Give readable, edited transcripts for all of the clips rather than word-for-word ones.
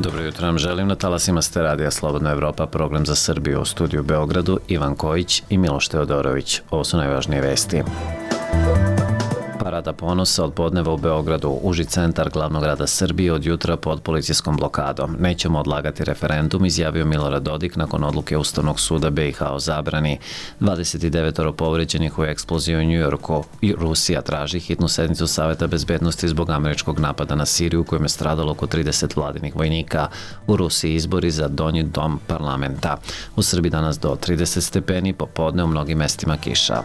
Dobro jutro nam želim na talasima ste radija Slobodna Evropa, program za Srbiju, u studiju u Beogradu Ivan Kojić i Miloš Teodorović. Ovo su najvažnije vesti. Parada ponosa od podneva u Beogradu, uži centar glavnog grada Srbije od jutra pod policijskom blokadom. Nećemo odlagati referendum, izjavio Milorad Dodik nakon odluke Ustavnog suda BiH o zabrani. 29 povređenih u eksploziji u Njujorku i Rusija traži hitnu sednicu Saveta bezbednosti zbog američkog napada na Siriju u kojem je stradalo oko 30 vladinih vojnika. U Rusiji izbori za donji dom parlamenta. U Srbiji danas do 30 stepeni, popodne u mnogim mestima kiša.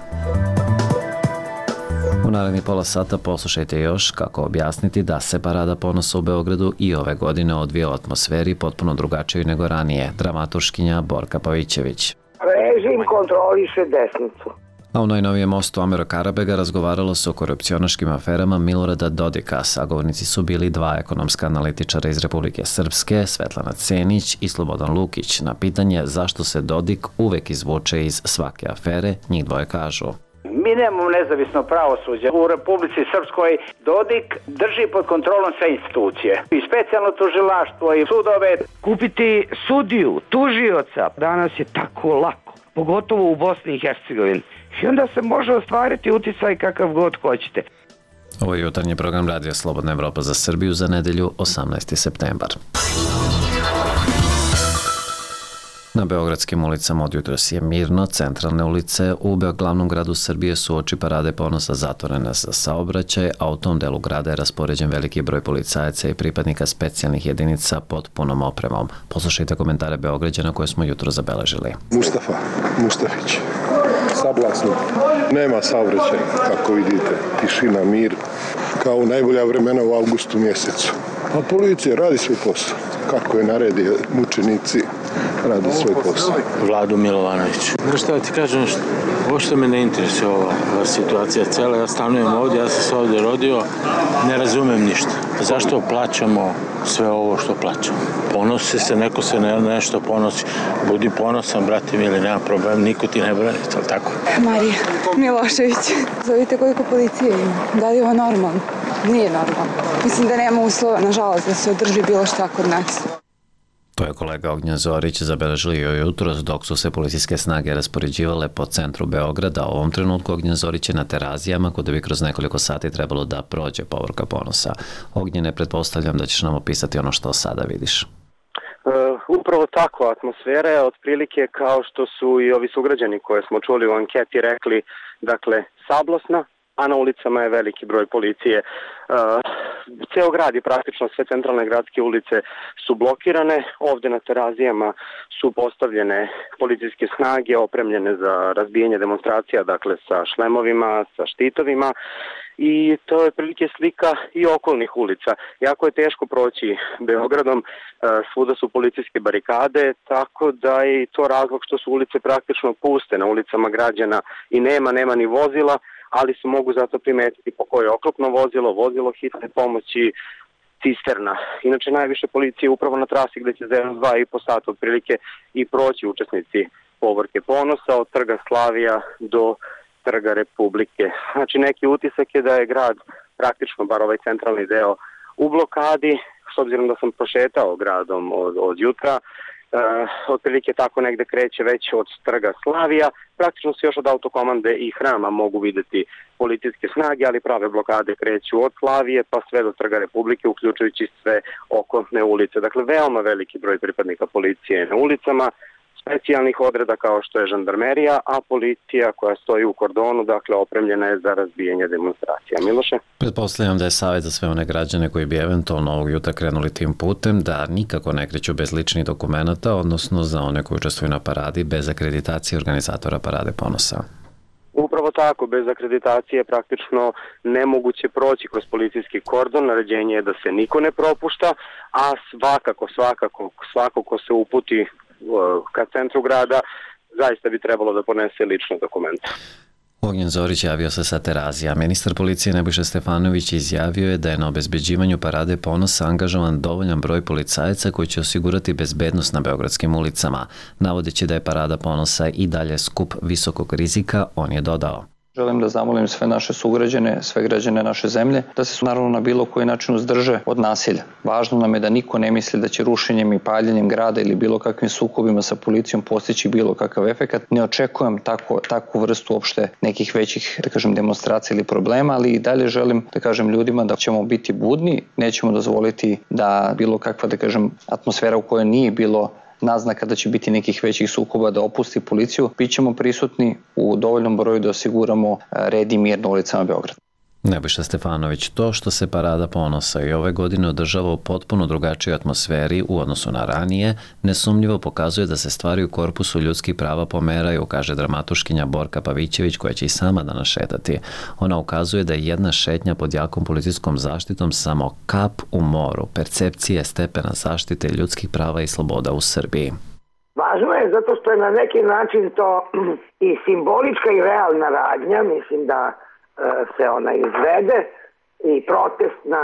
U narednih pola sata poslušajte još kako objasniti da se Parada ponosa u Beogradu i ove godine odvija u atmosferi potpuno drugačijoj nego ranije. Dramaturškinja Borka Pavićević. Režim kontroliše desnicu. A u najnovijem mostu Amira Karabega razgovaralo se o korupcionaškim aferama Milorada Dodika. Sagovornici su bili dva ekonomska analitičara iz Republike Srpske, Svetlana Cenić i Slobodan Lukić. Na pitanje zašto se Dodik uvek izvuče iz svake afere, njih dvoje kažu: Mi nemamo nezavisno pravosuđe. U Republici Srpskoj Dodik drži pod kontrolom sve institucije. I specijalno tužilaštvo i sudove. Kupiti sudiju, tužioca, danas je tako lako, pogotovo u Bosni i Hercegovini. I onda se može ostvariti uticaj kakav god hoćete. Ovo je jutarnji program Radija Slobodna Evropa za Srbiju za nedelju 18. septembar. Na beogradskim ulicama od jutros je mirno, centralne ulice u glavnom gradu Srbije su oči Parade ponosa zatvorene za saobraćaj, a u tom delu grada je raspoređen veliki broj policajaca i pripadnika specijalnih jedinica pod punom opremom. Poslušajte komentare Beograđana koje smo jutro zabeležili. Mustafić, sablasno. Nema saobraćaja, kako vidite, tišina, mir, kao najbolja vremena u avgustu mjesecu. A policija radi svoj posao, kako je naredio mučenici, radi svoj posao. Vladu Milovanović. Znaš šta ti kažem, uopšte me ne interesuje ova situacija cela. Ja stanujem ovdje, ja sam se ovdje rodio, ne razumem ništa. Zašto plaćamo sve ovo što plaćamo? Ponosi se, neko se nešto ponosi. Budi ponosan, brate mili, nema problem, niko ti ne brani, ali tako? Marija Milošević. Zovite koliko policije ima. Da li je ovo normalno? Nije normalno. Mislim da nema uslova, nažalost, da se održi bilo šta kod nas. To je kolega Ognjen Zorić zabeležio jutros dok su se policijske snage raspoređivale po centru Beograda. U ovom trenutku Ognjen Zorić je na Terazijama, kuda bi kroz nekoliko sati trebalo da prođe povorka ponosa. Ognjene, pretpostavljam da ćeš nam opisati ono što sada vidiš. Upravo tako, atmosfera je otprilike kao što su i ovi sugrađani koje smo čuli u anketi rekli, dakle, sablasna, a na ulicama je veliki broj policije. Ceo grad i praktično sve centralne gradske ulice su blokirane. Ovde na Terazijama su postavljene policijske snage opremljene za razbijanje demonstracija, dakle sa šlemovima, sa štitovima. I to je prilike slika i okolnih ulica. Jako je teško proći Beogradom, svuda su policijske barikade, tako da je i to razlog što su ulice praktično puste. Na ulicama građana i nema ni vozila, ali se mogu zato primetiti po koje oklopno vozilo hitne pomoći, cisterna. Inače, najviše policije upravo na trasi gde će za 2,5 sata otprilike i proći učesnici povorke ponosa od trga Slavija do trga Republike. Znači, neki utisak je da je grad, praktično bar ovaj centralni deo, u blokadi, s obzirom da sam prošetao gradom od jutra, otprilike tako negde kreće već od trga Slavija. Praktično se još od autokomande i hrama mogu videti policijske snage, ali prave blokade kreću od Slavije pa sve do trga Republike, uključujući sve okolne ulice. Dakle, veoma veliki broj pripadnika policije na ulicama, specijalnih odreda kao što je žandarmerija, a policija koja stoji u kordonu, dakle, opremljena je za razbijanje demonstracija. Miloše? Pretpostavljam da je savjet za sve one građane koji bi eventualno ovog jutra krenuli tim putem da nikako ne kreću bez ličnih dokumenata, odnosno za one koji učestvuju na paradi bez akreditacije organizatora Parade ponosa. Upravo tako, bez akreditacije praktično nemoguće proći kroz policijski kordon. Naređenje je da se niko ne propušta, a svako ko se uputi ka centru grada, zaista bi trebalo da ponese lične dokumente. Ognjen Zorić javio se sa Terazija. Ministar policije Nebojša Stefanović izjavio je da je na obezbeđivanju Parade ponosa angažovan dovoljan broj policajaca koji će osigurati bezbednost na beogradskim ulicama. Navodeći da je Parada ponosa i dalje skup visokog rizika, on je dodao: Želim da zamolim sve naše sugrađane, sve građane naše zemlje, da se naravno na bilo koji način uzdrže od nasilja. Važno nam je da niko ne misli da će rušenjem i paljenjem grada ili bilo kakvim sukobima sa policijom postići bilo kakav efekat. Ne očekujem takvu vrstu uopšte nekih većih, demonstracija ili problema, ali i dalje želim da kažem ljudima da ćemo biti budni, nećemo dozvoliti da bilo kakva, atmosfera u kojoj nije bilo naznaka da će biti nekih većih sukoba da opusti policiju. Bićemo prisutni u dovoljnom broju da osiguramo red i mir na ulicama Beograda. Nebojša Stefanović, to što se Parada ponosa i ove godine održava u potpuno drugačijoj atmosferi u odnosu na ranije, nesumnjivo pokazuje da se stvari u korpusu ljudskih prava pomeraju, kaže dramaturškinja Borka Pavićević, koja će i sama danas šetati. Ona ukazuje da je jedna šetnja pod jakom policijskom zaštitom samo kap u moru percepcije stepena zaštite ljudskih prava i sloboda u Srbiji. Važno je zato što je na neki način to i simbolička i realna radnja, mislim da se ona izvede i protestna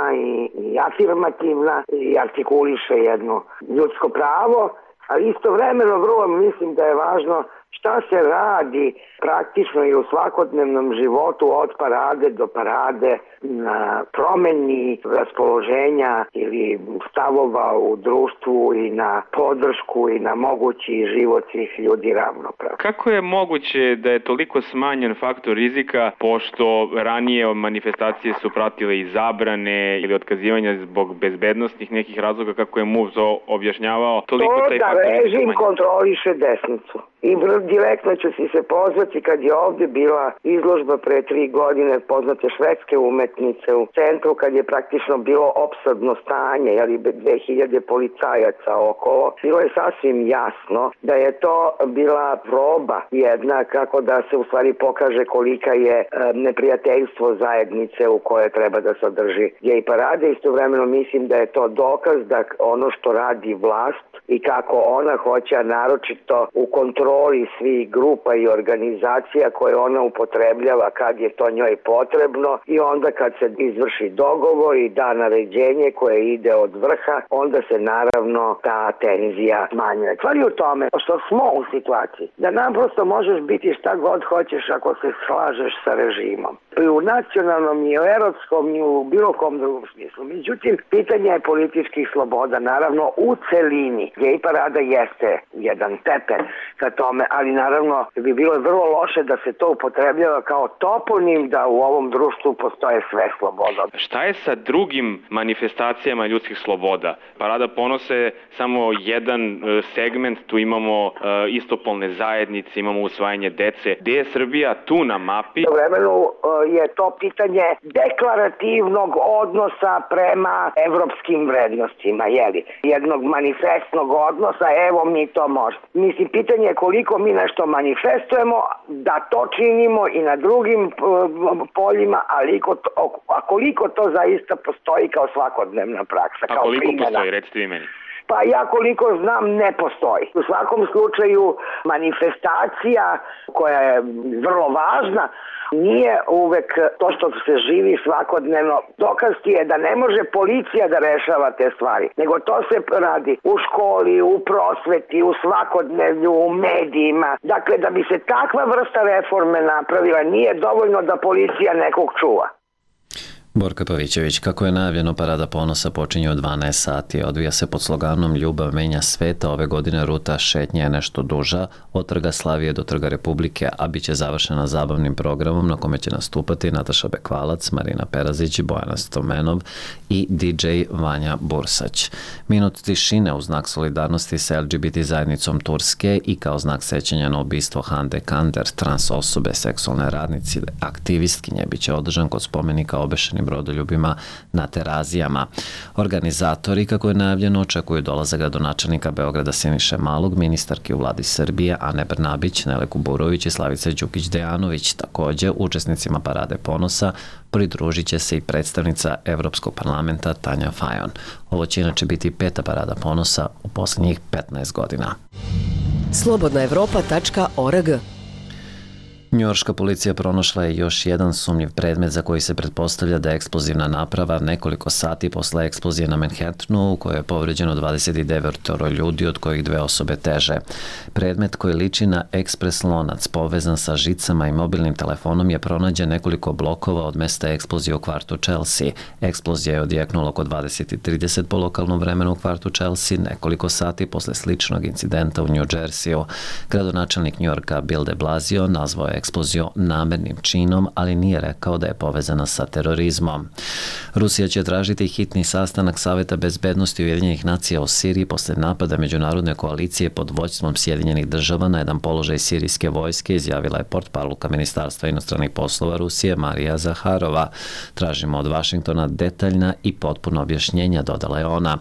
i afirmativna i artikuliše jedno ljudsko pravo, a istovremeno vrlo mislim da je važno šta se radi praktično i u svakodnevnom životu od parade do parade na promeni raspoloženja ili stavova u društvu i na podršku i na mogući život svih ljudi ravnopravno. Kako je moguće da je toliko smanjen faktor rizika, pošto ranije manifestacije su pratile i zabrane ili otkazivanja zbog bezbednostnih nekih razloga, kako je MUP objašnjavao, toliko taj faktor rizika rizika režim kontroliše desnicu. I direktno ću si se pozvati kad je ovdje bila izložba pre 3 godine poznate švedske umetnice u centru, kad je praktično bilo opsadno stanje, 2000 policajaca okolo. Bilo je sasvim jasno da je to bila proba jedna kako da se u stvari pokaže kolika je neprijateljstvo zajednice u koje treba da se održi gej parade. Istovremeno mislim da je to dokaz da ono što radi vlast i kako ona hoće, naročito u kontroli svih grupa i organizacija koje ona upotrebljava kad je to njoj potrebno i onda kad se izvrši dogovor i da naređenje koje ide od vrha, onda se naravno ta tenzija smanjuje. Stvar je u tome što smo u situaciji da naprosto možeš biti šta god hoćeš ako se slažeš sa režimom. I u nacionalnom i u erotskom i u bilo kom drugom smislu. Međutim, pitanje je političkih sloboda, naravno u celini. Gej parada jeste jedan stepen ka tome, ali naravno bi bilo vrlo loše da se to upotrebljava kao toponim da u ovom društvu postoje sve sloboda. Šta je sa drugim manifestacijama ljudskih sloboda? Parada ponosa je samo jedan segment, tu imamo istopolne zajednice, imamo usvajanje dece. Gde je Srbija tu na mapi? U vremenu je to pitanje deklarativnog odnosa prema evropskim vrednostima, jednog manifestnog odnosa, evo mi to možemo. Mislim, pitanje je koliko mi nešto manifestujemo, da to činimo i na drugim poljima, a koliko to zaista postoji kao svakodnevna praksa. A koliko postoji, recite vi meni? Pa ja koliko znam ne postoji. U svakom slučaju manifestacija koja je vrlo važna nije uvek to što se živi svakodnevno. Dokaz ti je da ne može policija da rešava te stvari, nego to se radi u školi, u prosveti, u svakodnevlju, u medijima. Dakle, da bi se takva vrsta reforme napravila, nije dovoljno da policija nekog čuva. Borka Pavićević, kako je najavljeno, Parada ponosa počinje u 12 sati. Odvija se pod sloganom Ljubav menja sveta. Ove godine ruta šetnje je nešto duža, od Trga Slavije do Trga Republike, a bit će završena zabavnim programom na kome će nastupati Nataša Bekvalac, Marina Perazić, Bojana Stomenov i DJ Vanja Bursać. Minut tišine u znak solidarnosti sa LGBT zajednicom Turske i kao znak sećanja na ubistvo Hande Kander, trans osobe, seksualne radnice, aktivistkinje, bit će održan kod spomenika obešenim brodoljubima na Terazijama. Organizatori, kako je najavljeno, očekuju dolazak gradonačelnika Beograda Siniše Malog, ministarki u vladi Srbije Ane Brnabić, Nele Kuburović i Slavice Đukić-Dejanović. Također, učesnicima Parade ponosa pridružit će se i predstavnica Evropskog parlamenta Tanja Fajon. Ovo će inače biti 5. Parada ponosa u posljednjih 15 godina. Slobodnaevropa.org Njujorška policija pronašla je još jedan sumnjiv predmet za koji se pretpostavlja da je eksplozivna naprava nekoliko sati posle eksplozije na Manhattanu u kojoj je povređeno 29 ljudi, od kojih 2 osobe teže. Predmet koji liči na ekspres lonac povezan sa žicama i mobilnim telefonom je pronađen nekoliko blokova od mesta eksplozije u kvartu Chelsea. Eksplozija je odjeknula oko 20:30 po lokalnom vremenu u kvartu Chelsea, nekoliko sati posle sličnog incidenta u New Jerseyu. Gradonačelnik Njujorka Bill de Blasio nazvao je eksploziju namernim činom, ali nije rekao da je povezana sa terorizmom. Rusija će tražiti hitni sastanak Saveta bezbednosti Ujedinjenih nacija o Siriji posle napada međunarodne koalicije pod vođstvom Sjedinjenih država na jedan položaj sirijske vojske, izjavila je portparolka Ministarstva inostranih poslova Rusije Marija Zaharova. Tražimo od Vašingtona detaljna i potpuna objašnjenja, dodala je ona.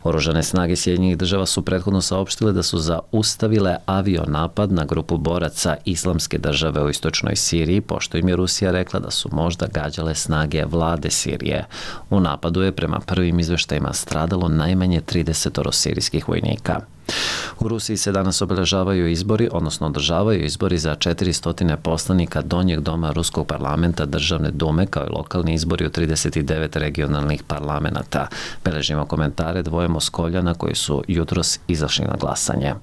Oružane snage Sjedinjenih država su prethodno saopštile da su zaustavile avionapad na grupu boraca Islamske države u istočnoj Siriji, pošto im je Rusija rekla da su možda gađale snage vlade Sirije. U napadu je prema prvim izveštajima stradalo najmanje 30 sirijskih vojnika. U Rusiji se danas obeležavaju izbori, odnosno održavaju izbori za 400 poslanika Donjeg doma Ruskog parlamenta Državne dume, kao i lokalni izbori u 39 regionalnih parlamenata. Beležimo komentare dvoje Moskoljana koji su jutros izašli na glasanje.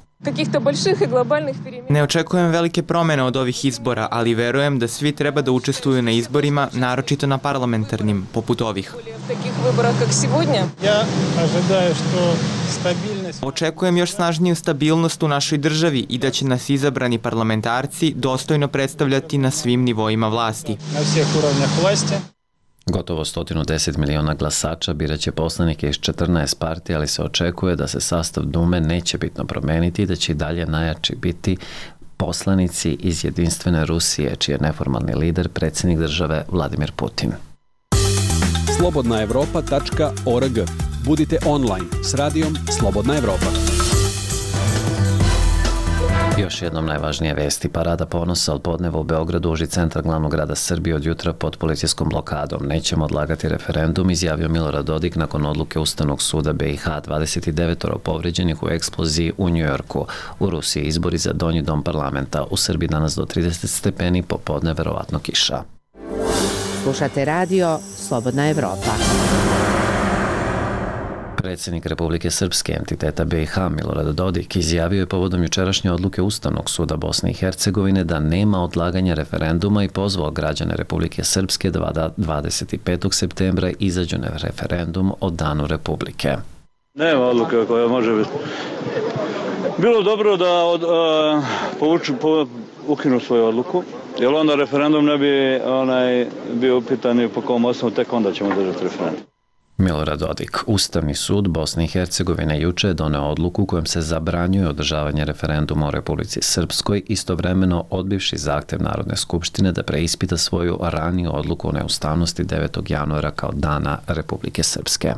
Ne očekujem velike promene od ovih izbora, ali verujem da svi treba da učestvuju na izborima, naročito na parlamentarnim, poput ovih. Očekujem još snažniju stabilnost u našoj državi i da će nas izabrani parlamentarci dostojno predstavljati na svim nivoima vlasti. Gotovo 110 miliona glasača biraće poslanike iz 14 partija, ali se očekuje da se sastav Dume neće bitno promeniti i da će i dalje najjači biti poslanici iz Jedinstvene Rusije, čiji je neformalni lider predsjednik države Vladimir Putin. slobodnaevropa.org. Budite online s radijom Slobodna Evropa. Još jednom najvažnije vesti. Parada ponosa od podneva u Beogradu uži centar glavnog grada Srbije od jutra pod policijskom blokadom. Nećemo odlagati referendum, izjavio Milorad Dodik nakon odluke Ustavnog suda BiH. 29 povređenih u eksploziji u Njujorku. U Rusiji izbori za donji dom parlamenta. U Srbiji danas do 30 stepeni, popodne verovatno kiša. Slušate radio Slobodna Evropa. Predsjednik Republike Srpske, entiteta BiH, Milorad Dodik, izjavio je povodom jučerašnje odluke Ustavnog suda Bosne i Hercegovine da nema odlaganja referenduma i pozvao građane Republike Srpske da 25. septembra izađu na referendum o Danu Republike. Nema odluke koja može biti. Bilo dobro da ukinu svoju odluku, jer onda referendum ne bi bio upitan i po kom osnovu, tek onda ćemo držati referendum. Milorad Dodik. Ustavni sud Bosne i Hercegovine juče je doneo odluku kojom se zabranjuje održavanje referenduma o Republici Srpskoj, istovremeno odbivši zahtev Narodne skupštine da preispita svoju raniju odluku o neustavnosti 9. januara kao Dana Republike Srpske.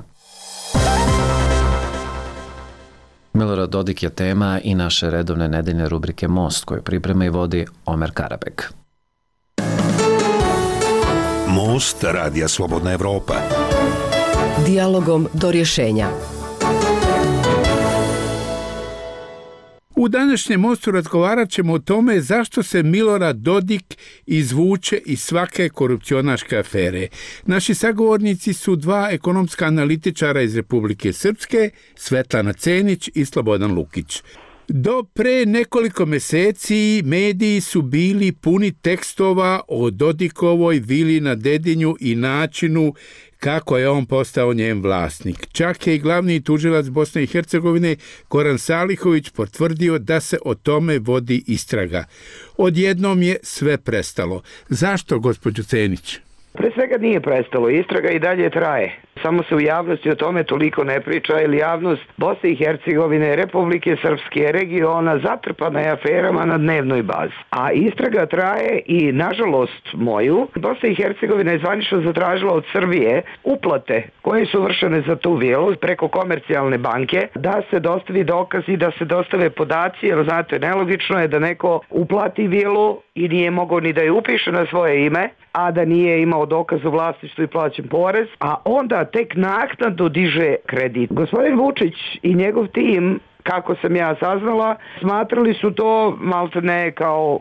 Milorad Dodik je tema i naše redovne nedeljne rubrike Most, koju priprema i vodi Omer Karabek. Most radija Slobodna Evropa. Dijalogom do rješenja. U današnjem mostu razgovarat ćemo o tome zašto se Milorad Dodik izvuče iz svake korupcionaške afere. Naši sagovornici su dva ekonomska analitičara iz Republike Srpske, Svetlana Cenić i Slobodan Lukić. Do pre nekoliko meseci mediji su bili puni tekstova o Dodikovoj vili na Dedinju i načinu kako je on postao njen vlasnik. Čak je i glavni tužilac Bosne i Hercegovine Goran Salihović potvrdio da se o tome vodi istraga. Odjednom je sve prestalo. Zašto, gospođo Cenić? Pre svega nije prestalo, istraga i dalje traje. Samo se u javnosti o tome toliko ne priča, jer javnost Bosne i Hercegovine, Republike Srpske, regiona zatrpana je aferama na dnevnoj bazi. A istraga traje i, nažalost moju, Bosna i Hercegovina je zvanično zatražila od Srbije uplate koje su vršene za tu vilu preko komercijalne banke, da se dostavi dokazi, da se dostave podaci, jer znate, nelogično je da neko uplati vilu i nije mogao ni da je upiše na svoje ime, a da nije imao dokaz o vlasništvu i plaćen porez, a onda tek naknadno diže kredit. Gospodin Vučić i njegov tim kako sam ja saznala, smatrali su to maltene kao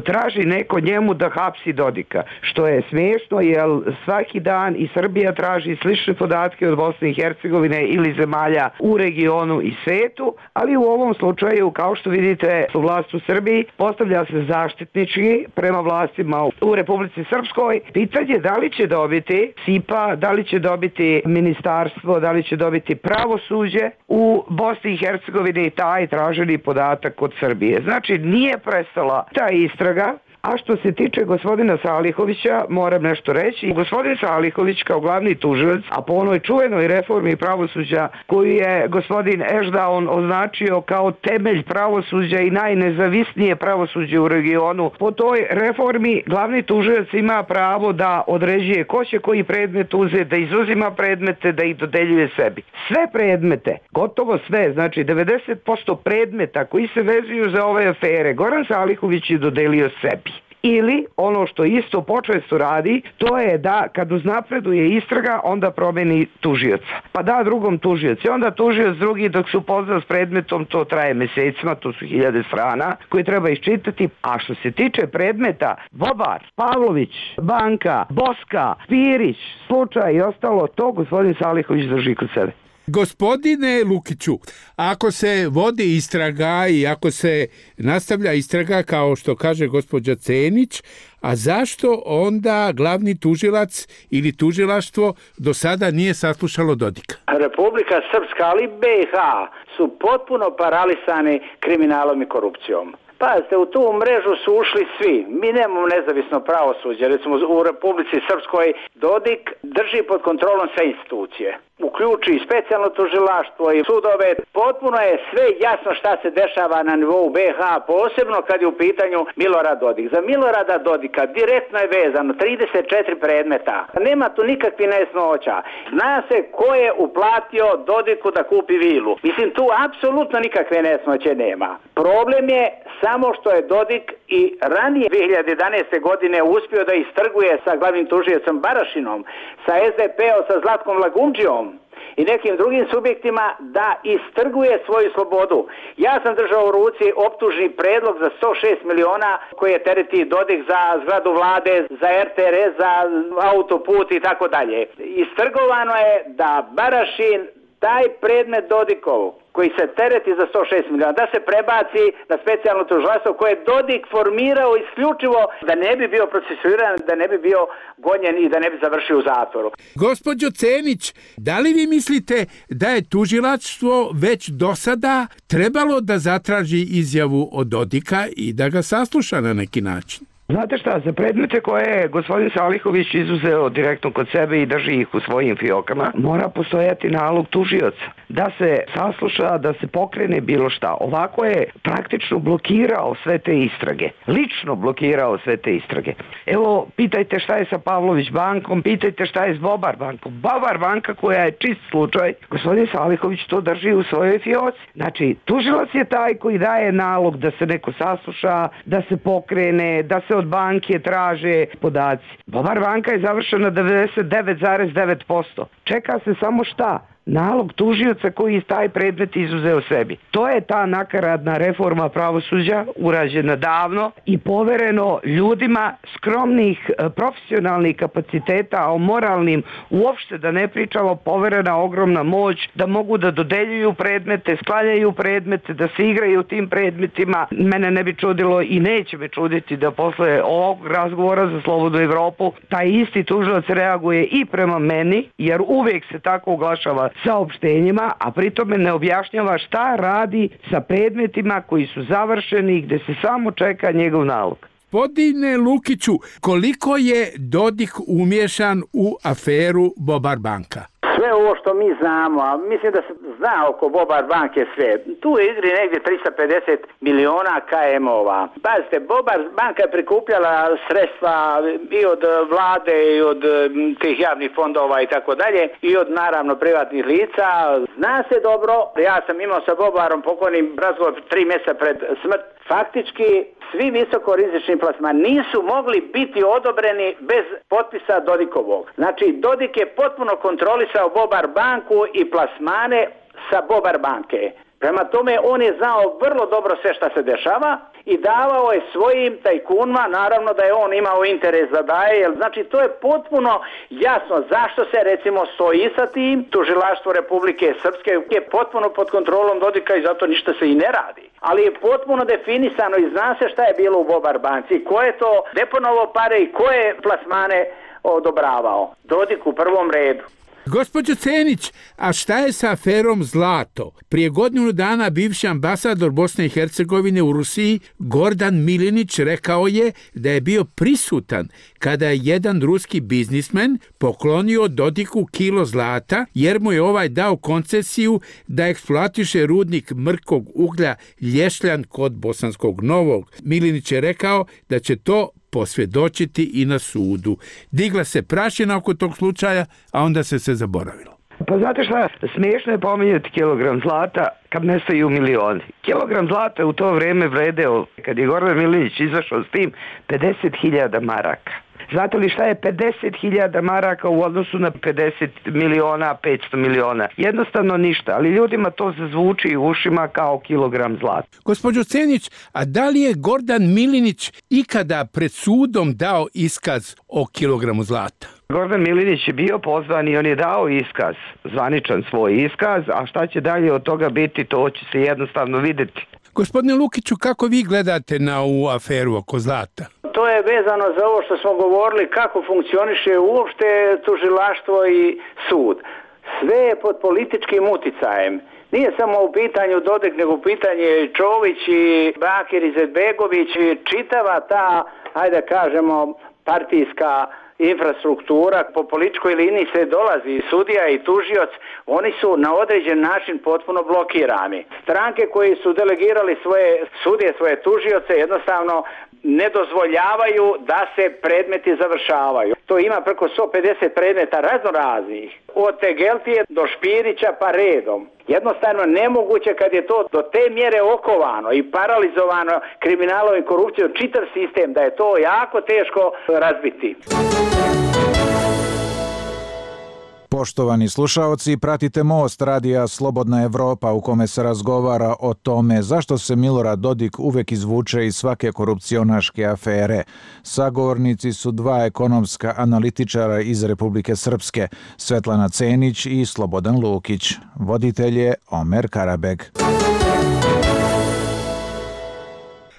traži neko njemu da hapsi Dodika, što je smiješno jer svaki dan i Srbija traži slične podatke od Bosne i Hercegovine ili zemalja u regionu i svetu, ali u ovom slučaju, kao što vidite, vlast u Srbiji postavlja se zaštitnički prema vlastima u Republici Srpskoj. Pitanje da li će dobiti SIPA, da li će dobiti ministarstvo, da li će dobiti pravosuđe u Bosni i Hercegovini taj traženi podatak od Srbije. Znači, nije prestala ta istraga. A što se tiče gospodina Salihovića, moram nešto reći. Gospodin Salihović kao glavni tužilac, a po onoj čuvenoj reformi pravosuđa koju je gospodin Ešdaun označio kao temelj pravosuđa i najnezavisnije pravosuđe u regionu, po toj reformi glavni tužilac ima pravo da određuje ko će koji predmet uzeti, da izuzima predmete, da ih dodeljuje sebi. Sve predmete, gotovo sve, znači 90% predmeta koji se vezuju za ove afere, Goran Salihović je dodelio sebi. Ili, ono što isto počesto radi, to je da kad uznapreduje istraga, onda promeni tužioca. Pa da drugom tužioci. Onda tužioc drugi dok se upozna s predmetom, to traje mesecima, to su 1000 strana koje treba iščitati. A što se tiče predmeta, Bobar, Pavlović, Banka, Boska, Pirić, slučaj i ostalo, to gospodin Salihović drži kod sebe. Gospodine Lukiću, ako se vodi istraga i ako se nastavlja istraga, kao što kaže gospođa Cenić, a zašto onda glavni tužilac ili tužilaštvo do sada nije saslušalo Dodika? Republika Srpska, ali BiH su potpuno paralisani kriminalom i korupcijom. Pazite, u tu mrežu su ušli svi. Mi nemamo nezavisno pravosuđe. Recimo u Republici Srpskoj Dodik drži pod kontrolom sve institucije. Uključi i specijalno tužilaštvo i sudove. Potpuno je sve jasno šta se dešava na nivou BiH, posebno kad je u pitanju Milorad Dodik. Za Milorada Dodika direktno je vezano 34 predmeta. Nema tu nikakvih nejasnoća. Zna se ko je uplatio Dodiku da kupi vilu. Mislim, tu apsolutno nikakve nejasnoće nema. Problem je samo što je Dodik i ranije 2011. godine uspio da istrguje sa glavnim tužiocem Barašinom, sa SDP-om, sa Zlatkom Lagumdžijom i nekim drugim subjektima da istrguje svoju slobodu. Ja sam držao u ruci optužni predlog za 106 miliona koje tereti Dodik za zgradu vlade, za RTRS, za autoput i tako dalje. Istrgovano je da Barašin taj predmet Dodikov koji se tereti za 106 miliona, da se prebaci na specijalno tužilaštvo koje je Dodik formirao isključivo da ne bi bio procesuiran, da ne bi bio gonjen i da ne bi završio u zatvoru. Gospođo Cenić, da li vi mislite da je tužilaštvo već do sada trebalo da zatraži izjavu od Dodika i da ga sasluša na neki način? Znate šta, za predmete koje je gospodin Salihović izuzeo direktno kod sebe i drži ih u svojim fiokama, mora postojati nalog tužioca da se sasluša, da se pokrene bilo šta. Ovako je praktično blokirao sve te istrage. Lično blokirao sve te istrage. Evo, pitajte šta je sa Pavlović bankom, pitajte šta je s Bobar bankom. Bobar banka koja je čist slučaj, gospodin Salihović to drži u svojoj fioci. Znači, tužilac je taj koji daje nalog da se neko sasluša, da se pokrene, da se od banke traže podaci. Bobar banka je završena 99,9%. Čeka se samo šta? Nalog tužioca koji taj predmet izuzeo sebi. To je ta nakaradna reforma pravosuđa urađena davno i povereno ljudima skromnih profesionalnih kapaciteta, a o moralnim uopšte da ne pričamo, poverena ogromna moć da mogu da dodeljuju predmete, sklanjaju predmete, da se igraju tim predmetima. Mene ne bi čudilo i neće me čuditi da posle ovog razgovora za Slobodnu Evropu taj isti tužilac reaguje i prema meni, jer uvijek se tako oglašava saopštenjima, a pritome ne objašnjava šta radi sa predmetima koji su završeni, gde se samo čeka njegov nalog. Gospodine Lukiću, koliko je Dodik umješan u aferu Bobar banka? Sve ovo što mi znamo, a mislim da se zna oko Bobar banke sve, tu je igri negdje 350 miliona KM-ova. Pazite, Bobar banka je prikupljala sredstva i od vlade i od tih javnih fondova i tako dalje i od naravno privatnih lica. Zna se dobro, ja sam imao sa Bobarom pokojnim razgovor 3 mjeseca pred smrt. Faktički svi visokorizični plasmani nisu mogli biti odobreni bez potpisa Dodikovog. Znači, Dodik je potpuno kontrolisao Bobar banku i plasmane sa Bobar banke. Prema tome, on je znao vrlo dobro sve šta se dešava i davao je svojim tajkunima, naravno da je on imao interes da daje, jer znači to je potpuno jasno zašto se recimo stoji sa tim. Tužilaštvo Republike Srpske je potpuno pod kontrolom Dodika i zato ništa se i ne radi. Ali je potpuno definisano i zna se šta je bilo u Bobar banci, ko je to deponovao pare i ko je plasmane odobravao. Dodik u prvom redu. Gospođo Cenić, a šta je sa aferom Zlato? Prije godinu dana bivši ambasador Bosne i Hercegovine u Rusiji, Gordan Milinić, rekao je da je bio prisutan kada je jedan ruski biznismen poklonio Dodiku kilo zlata, jer mu je ovaj dao koncesiju da eksploatiše rudnik mrkog uglja Lješljan kod Bosanskog Novog. Milinić je rekao da će to posvjedočiti i na sudu. Digla se prašina oko tog slučaja, a onda se zaboravilo. Pa znate šta, smiješno je pominjati kilogram zlata kad nestaju milioni. Kilogram zlata u to vrijeme vredeo, kad je Gordan Milinić izašao s tim, 50.000 maraka. Znate li šta je 50.000 maraka u odnosu na 50 miliona, 500 miliona? Jednostavno ništa, ali ljudima to zazvuči u ušima kao kilogram zlata. Gospođo Cenić, a da li je Gordan Milinić ikada pred sudom dao iskaz o kilogramu zlata? Gordan Milinić je bio pozvan i on je dao iskaz, zvaničan svoj iskaz, a šta će dalje od toga biti, to će se jednostavno vidjeti. Gospodine Lukiću, kako vi gledate na ovu aferu oko zlata? To je vezano za ovo što smo govorili, kako funkcioniše uopšte tužilaštvo i sud. Sve je pod političkim uticajem. Nije samo u pitanju Dodik, nego u pitanju i Čović i Bakir Izetbegović i čitava ta, ajde kažemo, partijska infrastruktura. Po političkoj liniji se dolazi sudija i tužioc, oni su na određen način potpuno blokirani. Stranke koji su delegirali svoje sudije, svoje tužioce, jednostavno ne dozvoljavaju da se predmeti završavaju. To ima preko 150 predmeta raznoraznih, od Tegeltije do Špirića pa redom. Jednostavno nemoguće kad je to do te mjere okovano i paralizovano kriminalom i korupcijom čitav sistem, da je to jako teško razbiti. Poštovani slušaoci, pratite Most radija Slobodna Evropa u kome se razgovara o tome zašto se Milorad Dodik uvek izvuče iz svake korupcionaške afere. Sagovornici su dva ekonomska analitičara iz Republike Srpske, Svetlana Cenić i Slobodan Lukić. Voditelj je Omer Karabeg.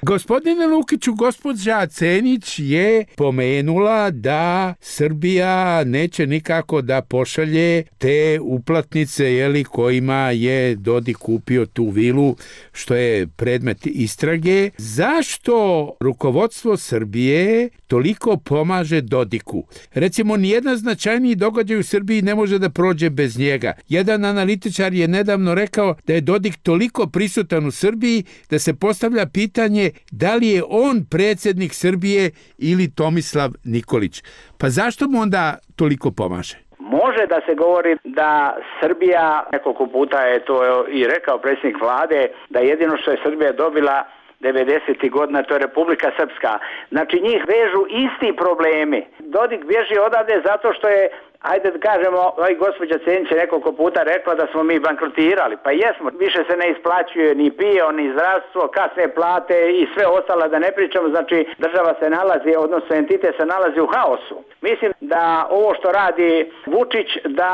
Gospodine Lukiću, gospođa Cenić je pomenula da Srbija neće nikako da pošalje te uplatnice kojima je Dodik kupio tu vilu, što je predmet istrage. Zašto rukovodstvo Srbije toliko pomaže Dodiku? Recimo, nijedan značajniji događaj u Srbiji ne može da prođe bez njega. Jedan analitičar je nedavno rekao da je Dodik toliko prisutan u Srbiji da se postavlja pitanje da li je on predsjednik Srbije ili Tomislav Nikolić. Pa zašto mu onda toliko pomaže? Može da se govori da Srbija, nekoliko puta je to i rekao predsjednik vlade, da jedino što je Srbija dobila 90. godina, to je Republika Srpska. Znači njih vežu isti problemi. Dodik bježi odavde zato što je, ajde da kažemo, gospođa Cenić je nekoliko puta rekla da smo mi bankrotirali. Pa jesmo, više se ne isplaćuje ni PIO, ni zdravstvo, kasne plate i sve ostalo, da ne pričamo. Znači država se nalazi, odnosno entitet se nalazi u haosu. Mislim da ovo što radi Vučić, da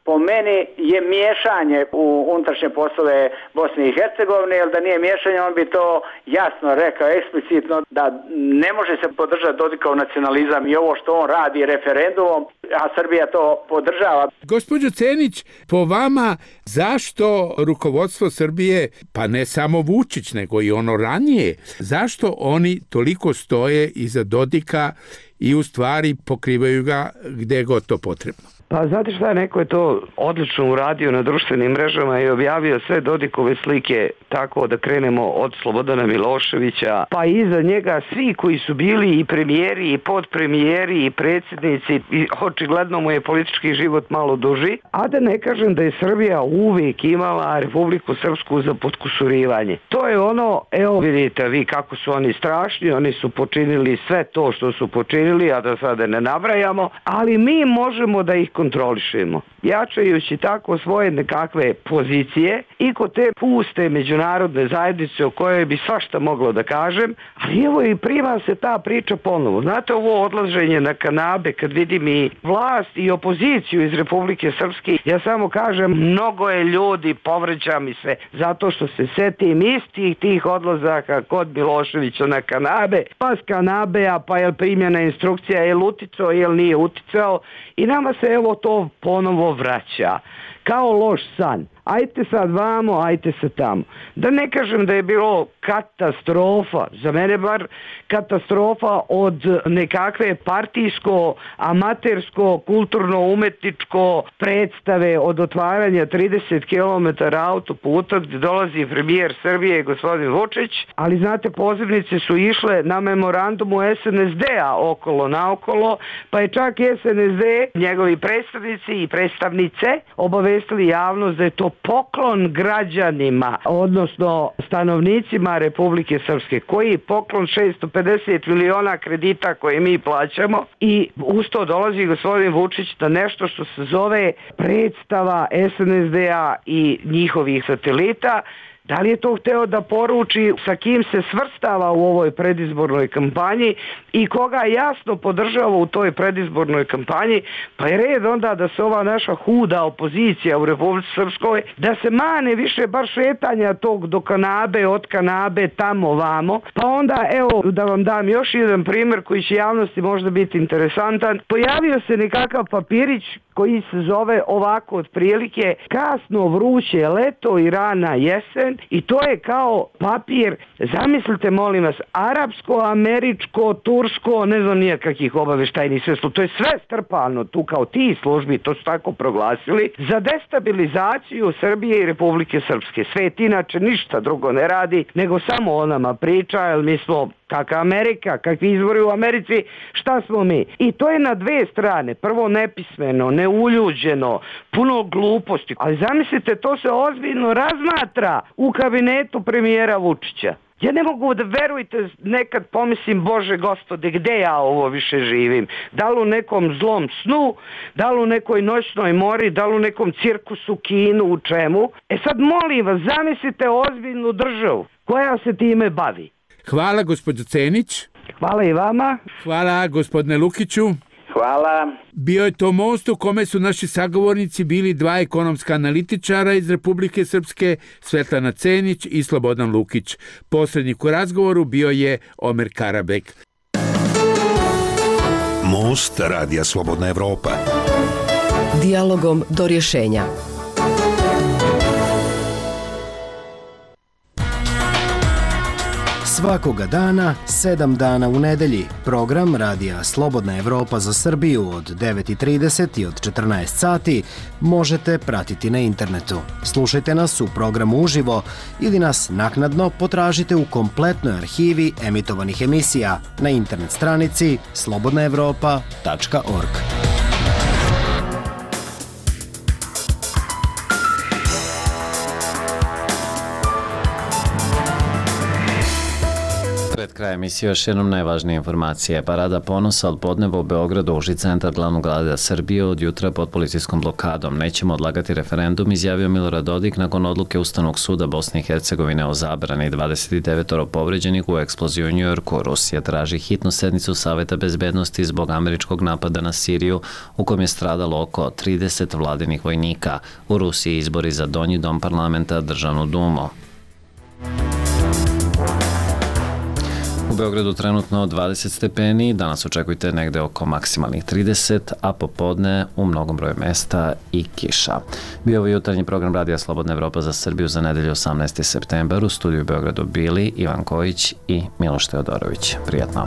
po meni je miješanje u unutrašnje poslove Bosne i Hercegovine, jer da nije miješanje, on bi to jasno rekao eksplicitno da ne može se podržati Dodikov nacionalizam i ovo što on radi referendumom, a Srbija to podržava. Gospođo Cenić, po vama zašto rukovodstvo Srbije, pa ne samo Vučić, nego i ono ranije, zašto oni toliko stoje iza Dodika i u stvari pokrivaju ga gde je god to potrebno? Pa znate šta, neko je to odlično uradio na društvenim mrežama i objavio sve Dodikove slike, tako da krenemo od Slobodana Miloševića, pa iza njega svi koji su bili i premijeri i podpremijeri i predsjednici, i očigledno mu je politički život malo duži, a da ne kažem da je Srbija uvijek imala Republiku Srpsku za potkusurivanje. To je ono, evo vidite vi kako su oni strašni, oni su počinili sve to što su počinili, a da sada ne nabrajamo, ali mi možemo da ih kontrolišemo, jačajući tako svoje nekakve pozicije i kod te puste međunarodne zajednice o kojoj bi svašta moglo da kažem, ali evo i prima se ta priča ponovo. Znate, ovo odlaženje na kanabe, kad vidim i vlast i opoziciju iz Republike Srpske, ja samo kažem, mnogo je ljudi, povređa mi se, zato što se setim istih tih odlazaka kod Miloševića na kanabe, pa s kanabea, pa je primjena instrukcija, je li uticao, je li nije uticao, i nama se evo to ponovo vraća. Kao loš san. Ajte sad vamo, ajte se tamo. Da ne kažem da je bilo katastrofa, za mene bar katastrofa od nekakve partijsko, amatersko, kulturno-umetničko predstave od otvaranja 30 km autoputa gdje dolazi premijer Srbije gospodin Vučić, ali znate, pozivnice su išle na memorandumu SNSD-a okolo naokolo, pa je čak SNSD, njegovi predstavnici i predstavnice obavestili javnost da je to poklon građanima, odnosno stanovnicima Republike Srpske, koji je poklon 650 miliona kredita koje mi plaćamo, i uz to dolazi gospodin Vučić na nešto što se zove predstava SNSD-a i njihovih satelita. Da li je to hteo da poruči sa kim se svrstava u ovoj predizbornoj kampanji i koga jasno podržava u toj predizbornoj kampanji, pa je red onda da se ova naša huda opozicija u Republici Srpskoj, da se mane više bar šetanja tog do kanabe, od kanabe, tamo vamo. Pa onda, evo, da vam dam još jedan primjer koji će javnosti možda biti interesantan. Pojavio se nekakav papirić koji se zove ovako otprilike kasno vruće leto i rana jesen, i to je kao papir, zamislite molim vas, arapsko, američko, tursko, ne znam nije kakvih obaveštajnih sredstva, to je sve strpano tu kao ti službi, to su tako proglasili, za destabilizaciju Srbije i Republike Srpske. Svet inače ništa drugo ne radi, nego samo o nama priča, jer mi smo kakva Amerika, kakvi izbori u Americi, šta smo mi? I to je na dve strane. Prvo nepismeno, neuljuđeno, puno gluposti. Ali zamislite, to se ozbiljno razmatra u kabinetu premijera Vučića. Ja ne mogu da verujete, nekad pomislim, Bože Gospode, gde ja ovo više živim? Da li u nekom zlom snu, da li u nekoj noćnoj mori, da li u nekom cirkusu, kinu, u čemu? E sad molim vas, zamislite ozbiljnu državu koja se time bavi. Hvala gospođo Cenić. Hvala i vama. Hvala gospodine Lukiću. Hvala. Bio je to most u kome su naši sagovornici bili dva ekonomska analitičara iz Republike Srpske, Svetlana Cenić i Slobodan Lukić. Posrednik u razgovoru bio je Omer Karabek. Most Radija Slobodna Evropa. Dijalogom do rješenja. Svakoga dana, 7 dana u nedelji, program Radija Slobodna Evropa za Srbiju od 9:30 i od 14 sati možete pratiti na internetu. Slušajte nas u programu uživo ili nas naknadno potražite u kompletnoj arhivi emitovanih emisija na internet stranici slobodnaevropa.org. Pred kraj emisije još jednom najvažnije informacije. Parada ponosa od podneva u Beogradu, uži centar glavnog grada Srbije, od jutra pod policijskom blokadom. Nećemo odlagati referendum, izjavio Milorad Dodik nakon odluke Ustavnog suda Bosne i Hercegovine o zabrani 29 povređenih u eksploziji u Njujorku. Rusija traži hitnu sednicu Saveta bezbednosti zbog američkog napada na Siriju, u kojem je stradalo oko 30 vladinih vojnika. U Rusiji izbori za donji dom parlamenta, državnu dumu. U Beogradu trenutno 20 stepeni, danas očekujte negde oko maksimalnih 30, a popodne u mnogom broju mesta i kiša. Bio ovo jutarnji program Radija Slobodna Evropa za Srbiju za nedelju 18. septembar. U studiju u Beogradu bili Ivan Kojić i Miloš Teodorović. Prijatno.